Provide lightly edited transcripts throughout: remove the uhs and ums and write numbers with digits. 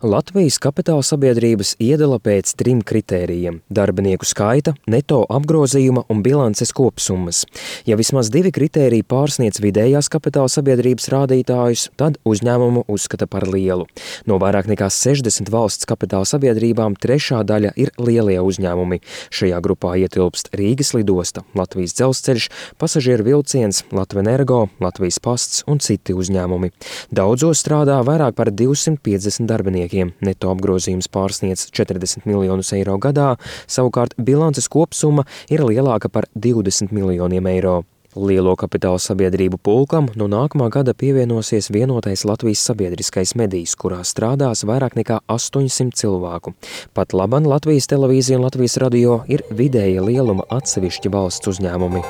Latvijas kapitāla sabiedrības iedala pēc 3 kritērijiem – darbinieku skaita, neto apgrozījuma un bilances kopsummas. Ja vismaz 2 kritēriji pārsniedz vidējās kapitāla sabiedrības rādītājus, tad uzņēmumu uzskata par lielu. No vairāk nekā 60 valsts kapitāla sabiedrībām 3. daļa ir lielie uzņēmumi. Šajā grupā ietilpst Rīgas lidosta, Latvijas dzelzceļš, pasažieru vilciens, Latvenergo, Latvijas pasts un citi uzņēmumi. Daudzos strādā vairāk par 250 darbinieki. Neto apgrozījums pārsniedz 40 miljonus eiro gadā, savukārt bilances kopsumma ir lielāka par 20 miljoniem eiro. Lielo kapitāla sabiedrību pulkam no nākamā gada pievienosies vienotais Latvijas sabiedriskais medijs, kurā strādās vairāk nekā 800 cilvēku. Pat laban Latvijas televīzija un Latvijas radio ir vidēja lieluma atsevišķi valsts uzņēmumi.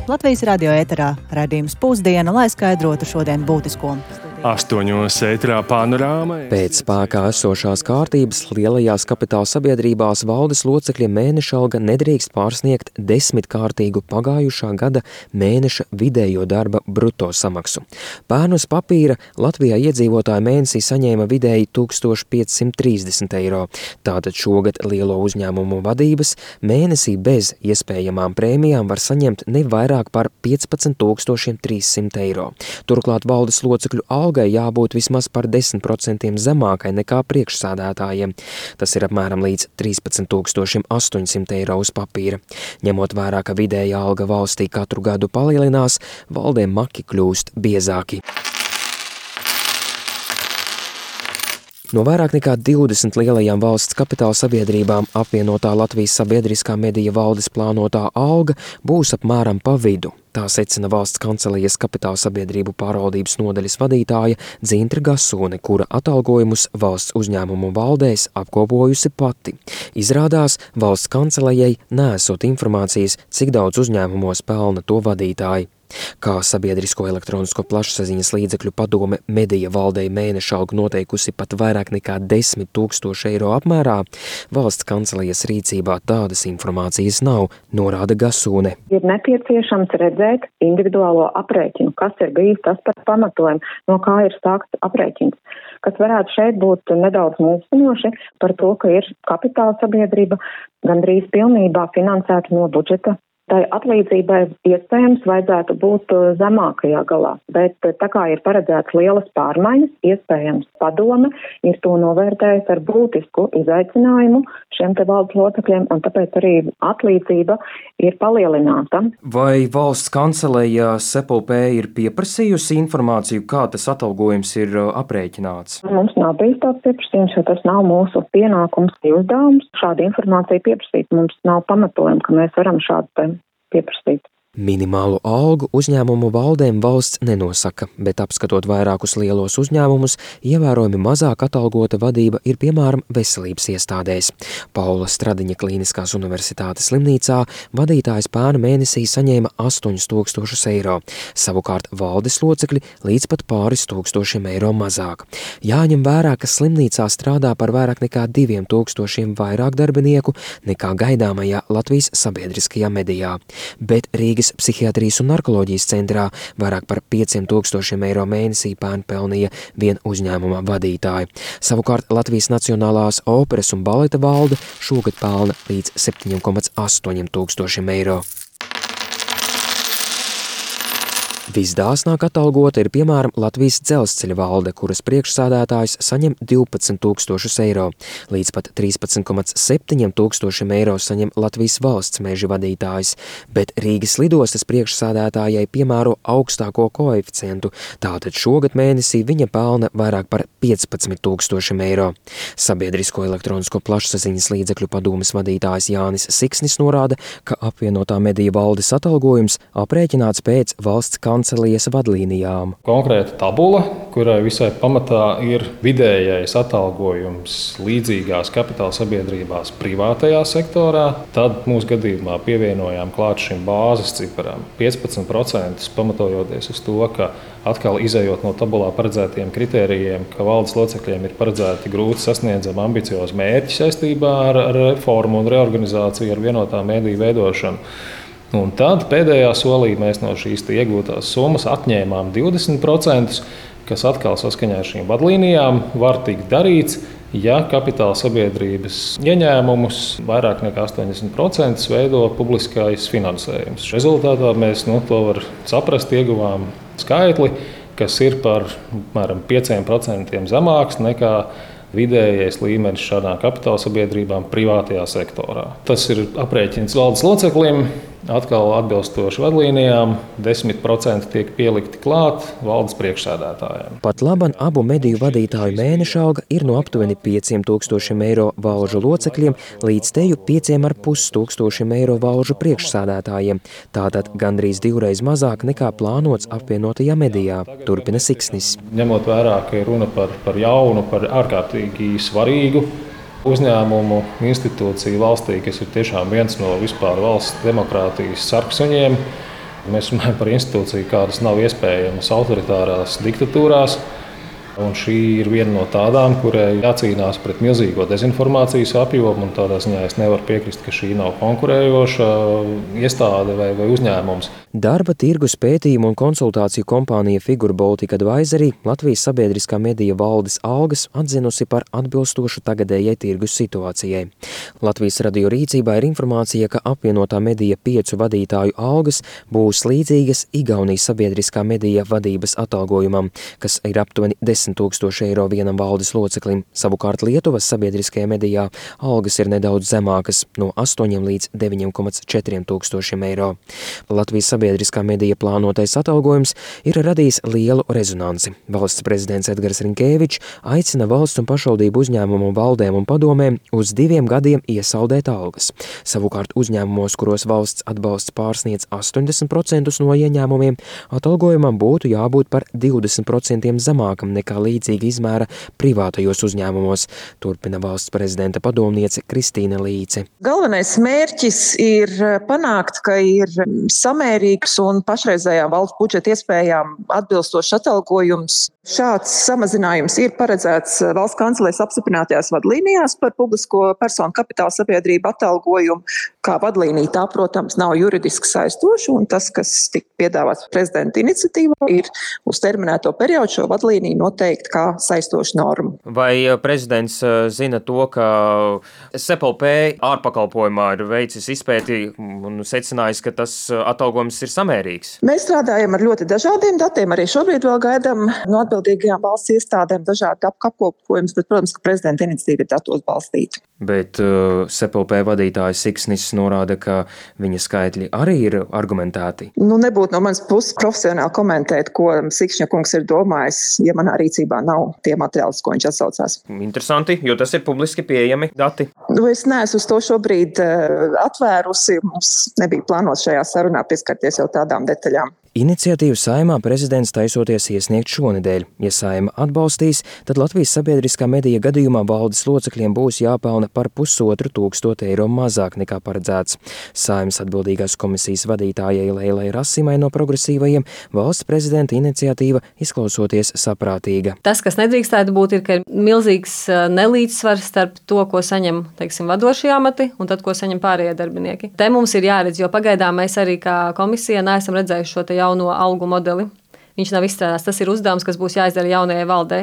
Latvijas radio ēterā raidījums Pusdiena, lai skaidrotu šodien būtisko. 8. ēterā panorāma. Pēc spēkā esošās kārtības lielajās kapitāla sabiedrībās valdes locekļiem mēneša alga nedrīkst pārsniegt 10-kārtīgu pagājušā gada mēneša vidējo darba bruto samaksu. Pērn uz papīra Latvijā iedzīvotāji mēnesī saņēma vidēji 1530 eiro. Tātad šogad lielo uzņēmumu vadības mēnesī bez iespējamām prēmijām var saņemt ne vairāk par 15 300 eiro. Turklāt valdes locekļu algai jābūt vismaz par 10% zemākai nekā priekšsādātājiem. Tas ir apmēram līdz 13 800 eiro uz papīra. Ņemot vērā, ka vidējā alga valstī katru gadu palielinās, valdēm maki kļūst biezāki. No vairāk nekā 20 lielajām valsts kapitāla sabiedrībām apvienotā Latvijas sabiedriskā medija valdes plānotā alga būs apmēram pa vidu. Tā secina valsts kancelijas kapitāla sabiedrību pārvaldības nodaļas vadītāja Dzintra Gasone, kura atalgojumus valsts uzņēmumu valdēs apkopojusi pati. Izrādās, valsts kancelejai neesot informācijas, cik daudz uzņēmumos pelna to vadītāji. Kā sabiedrisko elektronisko plašsaziņas līdzekļu padome medija valdei mēneša algu noteikusi pat vairāk nekā 10 000 eiro apmērā, valsts kancelijas rīcībā tādas informācijas nav, norāda Gasone. Ir nepieciešams redzēt individuālo aprēķinu, kas ir bijis tas par pamatojumu, no kā ir sākts aprēķins, kas varētu šeit būt nedaudz mulsinoši par to, ka ir kapitāla sabiedrība gandrīz pilnībā finansēta no budžeta. Tai atlīdzībai iespējams vajadzētu būt zemākajā galā, bet tā kā ir paredzēts lielas pārmaiņas, iespējams padome ir to novērtējusi ar būtisku izaicinājumu šiem te valdes locekļiem, un tāpēc arī atlīdzība ir palielināta. Vai valsts kanceleja SEPLP ir pieprasījusi informāciju, kā tas atalgojums ir aprēķināts? Mums nav bijis tāds pieprasījums, jo tas nav mūsu pienākums, uzdevums. Šāda informācija pieprasīt mums nav pamatojuma, ka mēs varam šādu pieprasīt. Minimālu algu uzņēmumu valdēm valsts nenosaka, bet apskatot vairākus lielos uzņēmumus, ievērojami mazāk atalgota vadība ir piemēram veselības iestādēs. Paula Stradiņa Klīniskās universitātes slimnīcā vadītājs pērn mēnesī saņēma 8000 eiro, savukārt valdes locekļi līdz pat pāris tūkstošiem eiro mazāk. Jāņem vērā, ka slimnīcā strādā par vairāk nekā 2000 vairāk darbinieku nekā gaidāmajā Latvijas sabiedriskajā medijā, bet Rīgas psihiatrijas un narkoloģijas centrā vairāk par 5000 eiro mēnesī pērn pelnīja vien uzņēmuma vadītāji. Savukārt Latvijas Nacionālās operas un baleta valde šogad pelna līdz 7,8 tūkstošiem eiro. Visdāsnāk atalgota ir piemēram Latvijas dzelzceļa valde, kuras priekšsādātājs saņem 12 000 eiro. Līdz pat 13,7 tūkstošiem eiro saņem Latvijas valsts meža vadītājs, bet Rīgas lidostas priekšsādātājai piemēro augstāko koeficientu, tātad šogad mēnesī viņa pelna vairāk par 15 000 eiro. Sabiedrisko elektronisko plašsaziņas līdzekļu padomes vadītājs Jānis Siksnis norāda, ka apvienotā medija valdes atalgojums aprēķināts pēc valsts kancelijas vadlīnijām. Konkrēta tabula, kurai visai pamatā ir vidējais atalgojums līdzīgās kapitāla sabiedrībās privātajā sektorā. Tad mūsu gadījumā pievienojām klāt šim bāzes ciparam 15%, pamatojoties uz to, ka atkal izējot no tabulā paredzētiem kritērijiem, ka valdes locekļiem ir paredzēti grūti sasniedzami ambiciozi mērķi saistībā ar reformu un reorganizāciju ar vienotā mediju veidošanu. Un tad pēdējā solī mēs no šīs iegūtās summas atņēmām 20%, kas atkal saskaņā ar šīm vadlīnijām var tikt darīts, ja kapitāla sabiedrības ieņēmumus vairāk nekā 80% veido publiskais finansējums. Rezultātā mēs to var saprast, ieguvām skaitli, kas ir par apmēram 5% zemāks nekā vidējais līmenis šādām kapitāla sabiedrībām privātajā sektorā. Tas ir aprēķins valdes loceklim. Atkal atbilstoši vadlīnijām 10% tiek pielikti klāt valdes priekšsēdētājiem. Pat laban abu mediju vadītāju mēneša alga ir no aptuveni 5,000 eiro valžu locekļiem līdz teju 5,500 eiro valžu priekšsēdētājiem. Tātad gandrīz 2 reizes mazāk nekā plānots apvienotajā medijā, turpina Siksnis. Ņemot vērā, ka ir runa par jaunu, par ārkārtīgi svarīgu uzņēmumu institūciju valstī, kas ir tiešām viens no vispār valsts demokrātijas sarksuņiem. Mēs runājam par institūciju, kādas nav iespējamas autoritārās diktatūrās. Un šī ir viena no tādām, kurai jācīnās pret milzīgo dezinformācijas apjomu. Tādā ziņā es nevaru piekrist, ka šī nav konkurējoša iestāde vai uzņēmums. Darba tirgus pētījumu un konsultāciju kompānija Figure Baltic Advisory Latvijas sabiedriskā medija valdes algas atzinusi par atbilstošu tagadējai tirgus situācijai. Latvijas radio rīcībā ir informācija, ka apvienotā medija 5 vadītāju algas būs līdzīgas Igaunijas sabiedriskā medija vadības atalgojumam, kas ir aptuveni 10,000 eiro vienam valdes loceklim. Savukārt Lietuvas sabiedriskajā medijā algas ir nedaudz zemākas, no 8 līdz 9,4 tūkstošiem eiro. Latvijas sabiedriskā medija plānotais atalgojums ir radījis lielu rezonanci. Valsts prezidents Edgars Rinkēvičs aicina valsts un pašvaldību uzņēmumu valdēm un padomēm uz 2 gadiem iesaldēt algas. Savukārt uzņēmumos, kuros valsts atbalsts pārsniedz 80% no ieņēmumiem, atalgojumam būtu jābūt par 20% zemākam nekā līdzīga izmēra privātajos uzņēmumos, turpina valsts prezidenta padomniece Kristīna Līce. Galvenais mērķis ir panākt, ka ir samērīgs un pašreizējām valsts budžeta iespējām atbilstošs atalgojums. Šāds samazinājums ir paredzēts valsts kancelēs apstiprinātajās vadlīnijās par publisko personu kapitāla sabiedrību atalgojumu. Kā vadlīnija tā, protams, nav juridiski saistoša, un tas, kas tika piedāvāts prezidenta iniciatīvā, ir uz terminēto periodu šo vadlīniju noteikt kā saistošu normu. Vai prezidents zina to, ka SEPLP ārpakalpojumā ir veicis izpēti un secinājis, ka tas atalgojums ir samērīgs? Mēs strādājam ar ļoti dažādiem datiem, arī šobrīd vēl gaidām no atbildīgajām valsts iestādēm dažādi apkopojumus, bet, protams, ka prezidenta iniciatīva ir datos balstīta. Bet SEPLP vadītājs Siksnis norāda, ka viņa skaitļi arī ir argumentēti. Nebūtu no manas puses profesionāli komentēt, ko Sikšņa kungs ir domājis, ja manā rīcībā nav tie materiāli, ko viņš atsaucās. Interesanti, jo tas ir publiski pieejami dati. Es neesmu uz to šobrīd atvērusi. Mums nebija plānots šajā sarunā pieskarties jau tādām detaļām. Iniciatīvu Saeimā prezidents taisoties iesniegt šonedēļ. Ja Saeima atbalstīs, tad Latvijas sabiedriskā medija gadījumā valdes locekļiem būs jāpelna par 1,5 eiro mazāk nekā paredzēts. Saeimas atbildīgās komisijas vadītājai Leilai Rasimai no progresīvajiem valsts prezidenta iniciatīva izklausoties saprātīga. Tas, kas nedrīkstētu būt, ir, ka ir milzīgs nelīdzsvars starp to, ko saņem, vadošie amati un tad, ko saņem pārējie darbinieki. Te mums ir jāredz, jo pagaidām mēs arī kā komisija neesam redzējuši šo jauno algu modeli. Viņš nav izstrādāts. Tas ir uzdevums, kas būs jāizdara jaunajai valdei.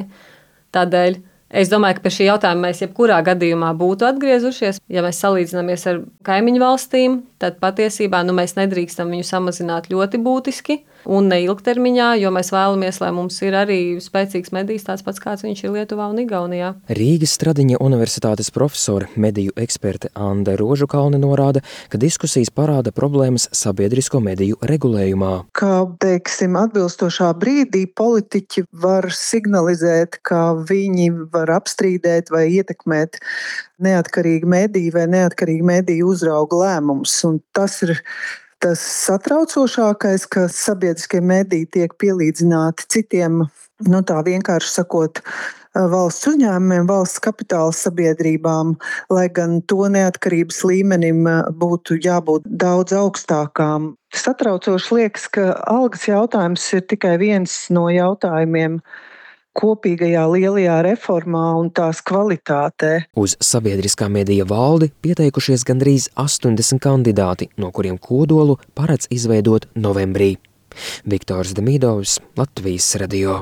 Tādēļ es domāju, ka pie šī jautājuma mēs jebkurā gadījumā būtu atgriezušies. Ja mēs salīdzinamies ar kaimiņu valstīm, tad patiesībā mēs nedrīkstam viņu samazināt ļoti būtiski un ne ilgtermiņā, jo mēs vēlamies, lai mums ir arī spēcīgs medijs tāds pats, kāds viņš ir Lietuvā un Igaunijā. Rīgas Stradiņa universitātes profesore, mediju eksperte Ande Rožukalne norāda, ka diskusijas parāda problēmas sabiedrisko mediju regulējumā. Kā, atbilstošā brīdī politiķi var signalizēt, ka viņi var apstrīdēt vai ietekmēt neatkarīgi mediju vai neatkarīgi mediju uzrauga lēmumus. Un tas ir tas satraucošākais, ka sabiedriskie mediji tiek pielīdzināti citiem, tā vienkārši sakot, valsts uzņēmumiem, valsts kapitāla sabiedrībām, lai gan to neatkarības līmenim būtu jābūt daudz augstākām. Satraucoši liekas, ka algas jautājums ir tikai viens no jautājumiem kopīgajā lielajā reformā un tās kvalitātē. Uz sabiedriskā medija valdi pieteikušies gandrīz 80 kandidāti, no kuriem kodolu paredz izveidot novembrī. Viktors Demidovs, Latvijas radio.